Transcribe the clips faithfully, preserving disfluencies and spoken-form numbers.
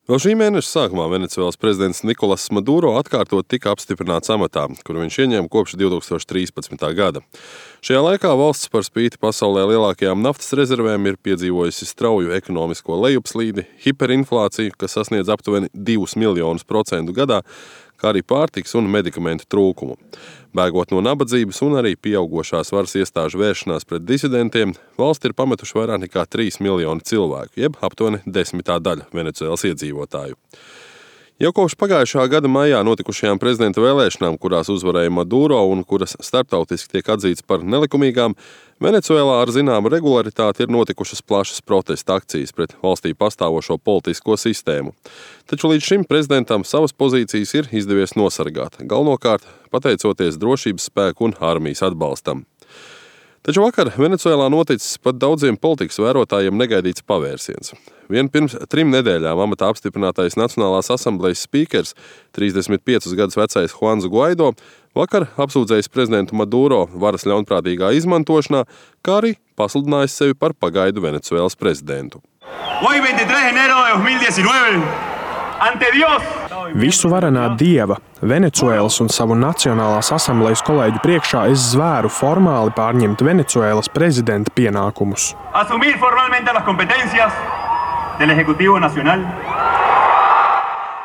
Vēl šī mēneša sākumā Venecuēlas prezidents Nikolas Maduro atkārtot tika apstiprināts amatā, kuru viņš ieņēma kopš divi tūkstoši trīspadsmitā gada. Šajā laikā valsts par spīti pasaulē lielākajām naftas rezervēm ir piedzīvojusi strauju ekonomisko lejupslīdi, hiperinflāciju, kas sasniedz aptuveni divus miljonus procentu gadā, kā arī pārtikas un medikamentu trūkumu. Bēgot no nabadzības un arī pieaugošās varas iestāžu vēršanās pret disidentiem, valsti ir pametuši vairāk nekā trīs miljoni cilvēku, jeb aptuveni desmitā daļa Venecuēlas iedzīvotāju. Jau kopš pagājušā gada maijā notikušajām prezidenta vēlēšanām, kurās uzvarēja Maduro un kuras starptautiski tiek atzīts par nelikumīgām, Venecuēlā ar zināmu regularitāti ir notikušas plašas protesta akcijas pret valstī pastāvošo politisko sistēmu. Taču līdz šim prezidentam savas pozīcijas ir izdevies nosargāt, galvenokārt pateicoties drošības spēku un armijas atbalstam. Taču vakar Venecuēlā noticis pat daudziem politikas vērotājiem negaidīts pavērsiens. Vien pirms trim nedēļām amatā apstiprinātais Nacionālās asamblejas spīkers, trīsdesmit piecus gadus vecais Juans Guaido, vakar apsūdzējis prezidentu Maduro varas ļaunprātīgā izmantošanā, kā arī pasludinājis sevi par pagaidu Venecuēlas prezidentu. Visu varenā Dieva, Venecuēlas un savu Nacionālās asamblejas kolēģu priekšā es zvēru formāli pārņemt Venecuēlas prezidenta pienākumus.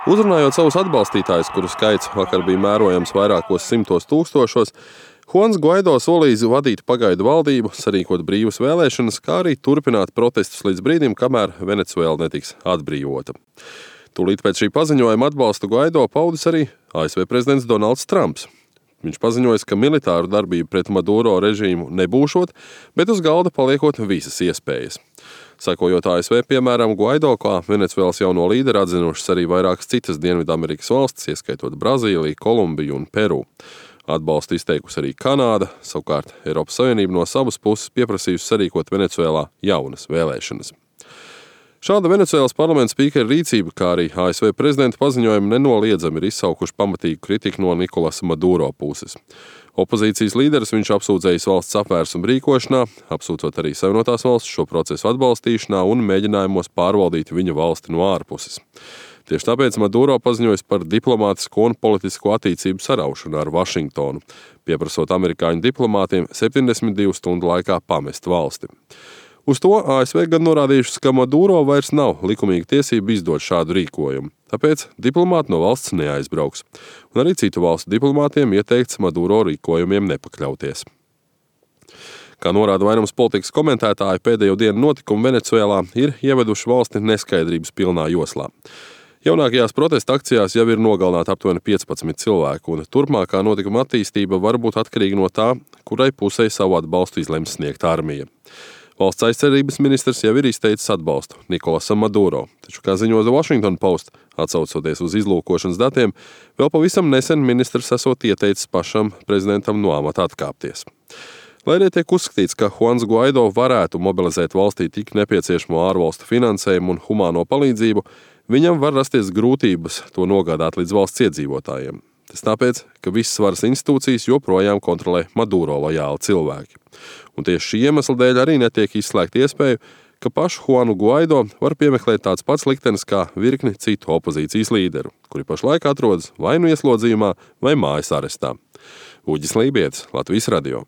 Uzrunājot savus atbalstītājus, kuru skaits vakar bija mērojams vairākos simtos tūkstošos, Juans Guaido solījis vadīt pagaidu valdību, sarīkot brīvas vēlēšanas, kā arī turpināt protestus līdz brīdim, kamēr Venecuēla netiks atbrīvota. Tūlīt pēc šī paziņojuma atbalstu Guaido paudis arī A S V prezidents Donalds Trumps. Viņš paziņoja, ka militāru darbību pret Maduro režīmu nebūšot, bet uz galda paliekot visas iespējas. Sakojot A S V piemēram, Guaido kā Venecuēlas jauno līderi atzinušas arī vairākas citas Dienvidamerikas valstis, ieskaitot Brazīliju, Kolumbiju un Peru. Atbalstu izteikusi arī Kanāda, savukārt Eiropas Savienība no savas puses pieprasījusi sarīkot Venecuēlā jaunas vēlēšanas. Šāda Venecuēlas parlamenta spīkera rīcība, kā arī A S V prezidenta paziņojumi nenoliedzami ir izsaukuši pamatīgu kritiku no Nikolasa Maduro puses. Opozīcijas līderis viņš apsūdzējis valsts apvērsumu rīkošanā, apsūdzot arī Savienotās valstis šo procesu atbalstīšanā un mēģinājumos pārvaldīt viņa valsti no ārpuses. Tieši tāpēc Maduro paziņojas par diplomātisko un politisko attiecību saraušanu ar Vašingtonu, pieprasot amerikāņu diplomātiem septiņdesmit divu stundu laikā pamest valsti. Uz to A S V gan norādījušas, ka Maduro vairs nav likumīga tiesība izdot šādu rīkojumu, tāpēc diplomāti no valsts neaizbrauks, un arī citu valstu diplomātiem ieteikts Maduro rīkojumiem nepakļauties. Kā norāda vairums politikas komentētāji, pēdējo dienu notikumi Venecuēlā ir ieveduši valsti neskaidrības pilnā joslā. Jaunākajās protesta akcijās jau ir nogalināti aptuveni piecpadsmit cilvēku, un turpmākā notikuma attīstība var būt atkarīga no tā, kurai pusē savu atbalstu izlems sniegt armija. Valsts aizsardzības ministrs jau ir izteicis atbalstu Nikolasam Maduro, taču, kā ziņo The Washington Post, atsaucoties uz izlūkošanas datiem, vēl pavisam nesen ministrs esot ieteicis pašam prezidentam no amata atkāpties. Lai arī tiek uzskatīts, ka Juans Guaido varētu mobilizēt valstī tik nepieciešamo ārvalstu finansējumu un humāno palīdzību, viņam var rasties grūtības to nogādāt līdz valsts iedzīvotājiem. Tas tāpēc, ka visas varas institūcijas joprojām kontrolē Maduro lojāli cilvēki. Un tieši šī iemesla dēļ arī netiek izslēgta iespēja, ka pašu Juanu Guaido var piemeklēt tāds pats liktenis kā virkni citu opozīcijas līderu, kuri pašlaik atrodas vai nu ieslodzījumā vai mājas arestā. Uģis Lībietis, Latvijas radio.